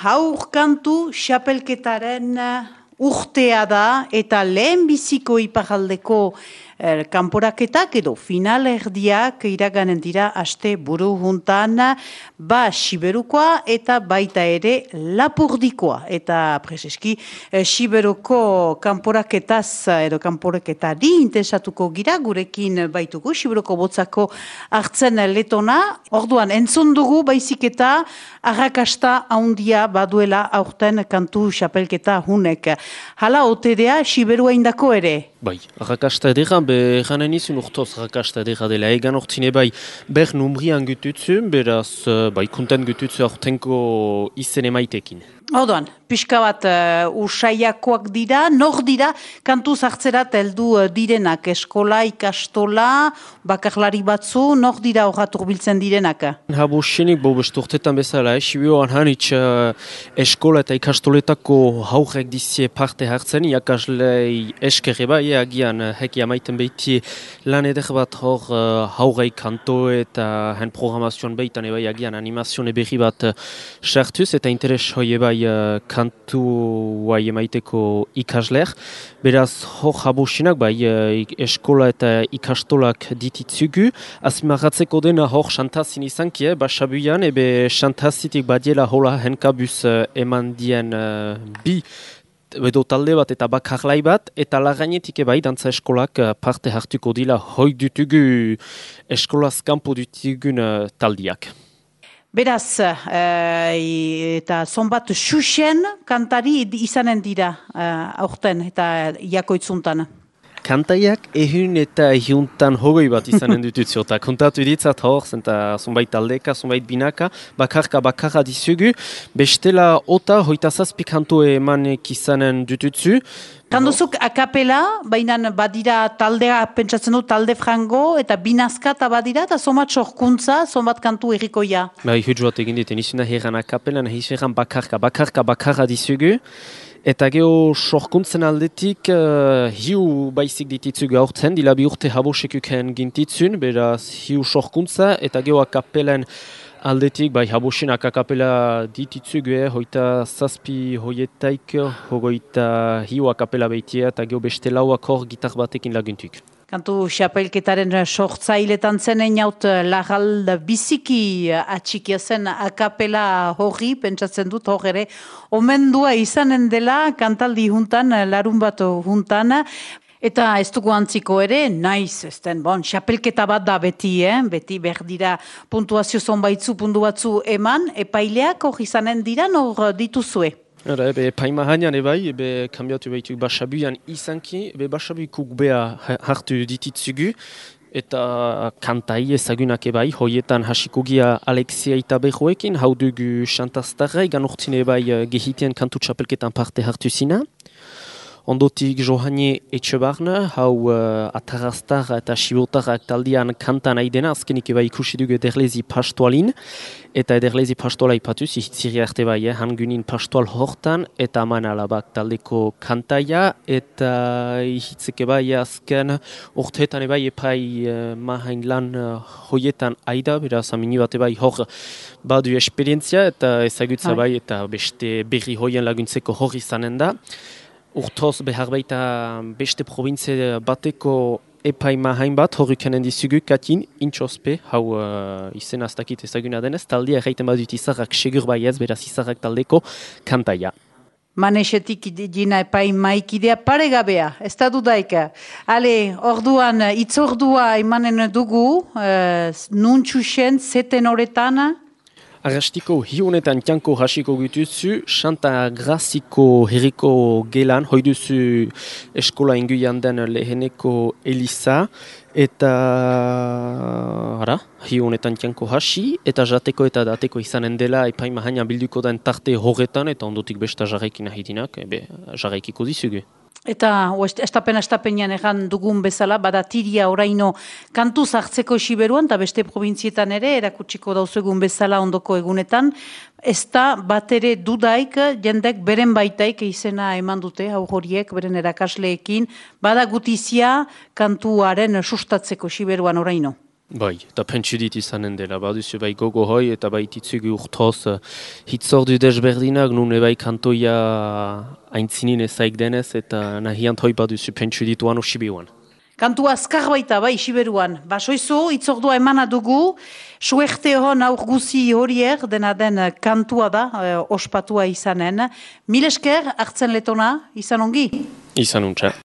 haur kantu xapelketaren urtea da eta lehen biziko iparraldeko kanporaketak edo finalerdiak iraganen dira aste buru juntan, ba Siberukoa eta baita ere Lapurdikoa. Eta preseski Siberuko kanporaketaz edo kanporaketari interesatuko gira, gurekin baitugu Siberuko botzako hartzen letona. Orduan entzun dugu baizik eta arrakasta handia baduela aurten kantu xapelketa hunek. Hala otedea Siberua indako ere? Bai, arrakasta edera, janen izun urtoz arrakasta edera dela. Egan ortsine bai, ber numrian gututzu, beraz, bai, kunten gututzu aurtenko izen emaitekin. Orduan, pixka bat usaiakoak dira, nor dira, kantu zartzerat heldu direnak, eskola, ikastola, bakarlari batzu, nor dira horretur biltzen direnak? Habo xenik, besturtetan bezala, Sibioan hanitz eskola eta ikastoletako haurrek dizie parte hartzen, iakaslei eskerre bai, agian heki amaiten behiti lan eder bat hor haurrei kanto eta hen programazioan behitan ebai agian animazioan berri bat sartuz eta interes hoi ebai kantu bai emaiteko ikasler. Beraz, hor habusinak bai eskola eta ikastolak dititzugu. Azmarratzeko dena hor xantazin izankie, basabuian, ebe xantazitik badiela hola henkabuz eman dien bi edo talde bat eta bakarlai bat, eta lagainetik ebai dantza eskolak parte hartuko dila hoi dutugu eskolaz kanpo dutugun taldiak. Beraz, eta zonbat xuxen kantari izanen dira aurten eta jakoitzuntan. Kantaiak ehun eta ehuntan hogei bat izanen dututzu, eta kontatu ditzat hor, eta zonbait taldeka, zonbait binaka, bakarra dizugu, bestela ota hoita zazpi kantu emanek izanen dututzu. Kanduzuk akapela, baina badira taldea, pentsatzen du talde frango, eta binazka eta badira, eta zonbat sorkuntza, zonbat kantu errikoia. Bai, hutsu bat egin dit, nizuna herran akapela, nahiz herran bakarra dizugu. Eta geho sorkuntzen aldetik hiu baizik dititzugu aurten, dila bi urte habosekukeen gintitzun, beraz hiu sorkuntza, eta geho akapelen aldetik, bai habosenak akapela dititzugu, hoita zazpi hoietaik, hogeita hiu akapela behitia, eta geho beste lauak hor gitar batekin laguntuk. Kantu xapelketaren sortzailetan zenen jaut lagal biziki atxikia zen akapela horri, pentsatzen dut hor ere, omendua izanen dela kantaldi juntan, larun bat juntan, eta ez dugu antziko ere, naiz, ezten, xapelketa bat da beti, beti berdira puntuazio zonbaitzu, puntu batzu eman, epaileak hor izanen dira, nor dituzue? Ebe paima hainan ebai, ebe kambiatu behitu basabuian izanki, ebe basabuikuk beha hartu dititzugu, eta kantai ezagunak ebai, hoietan hasikogia Alexia eta behoekin, hau dugu xantaztarra, egan urtzine ebai gehitien kantu txapelketan parte hartu zina. Ondotik Johanie Etxebarna, hau Atarraztarra eta Sibotarrak taldean kantan aidena, azkenik eba ikusi dugu ederlezi pastoalin, eta ederlezi pastoala ipatuz, ihitziri arte bai, hangunin pastoal hortan, eta aman alabak taldeko kantaia, eta ihitzeke bai azken urteetan ebai epai mahain lan hoietan aida, beraz amini bat ebai hor badu esperientzia, eta ezagutza bai, eta beste berri hoien laguntzeko hor izanen da. Urtoz behar baita beste provintze bateko epaima hainbat, horrikanen dizugu katin, intxospe, hau izen aztakit ezaguna denez, taldea erraiten badut izarrak segur baiez, beraz izarrak taldeko kantaia. Manesetik dina epaimaikidea paregabea, ez da dudaika. Ale, orduan, itzordua emanen dugu, nuntxusen, zeten horretan. Arrastiko hiunetan tianko hasiko gutuzu, Santa Graziko herriko gelan, hoiduzu eskola inguian den leheneko Elisa, eta hiunetan tianko hasi, eta jateko eta dateko izanen dela epaima haina bilduko den tarte horretan, eta ondotik besta jarraikin ahidinak, jarraikiko dizugu. Eta estapenean egan dugun bezala, bada tiria oraino kantu zartzeko Siberuan, eta beste provintzietan ere, erakutsiko dauzegun bezala ondoko egunetan, ez da bat ere dudaik, jendek beren baitaik izena eman dute, hau horiek, beren erakasleekin, bada gutizia kantuaren sustatzeko Siberuan oraino. Bai, eta pentsu dit izanen dela, baduzu bai gogo hoi eta bai titzugu urtoz hitzordu desberdinak, nun bai kantoia aintzinin ezaik denez eta nahiant hoi baduzu pentsu dituan osibiuan. Kantu azkar baita, bai, Siberuan. Basoizu, itzordua emana dugu, suerte hon aur guzi horier, dena den kantua da, ospatua izanen. Mil esker, hartzen letona, izan ongi? Izan untxa.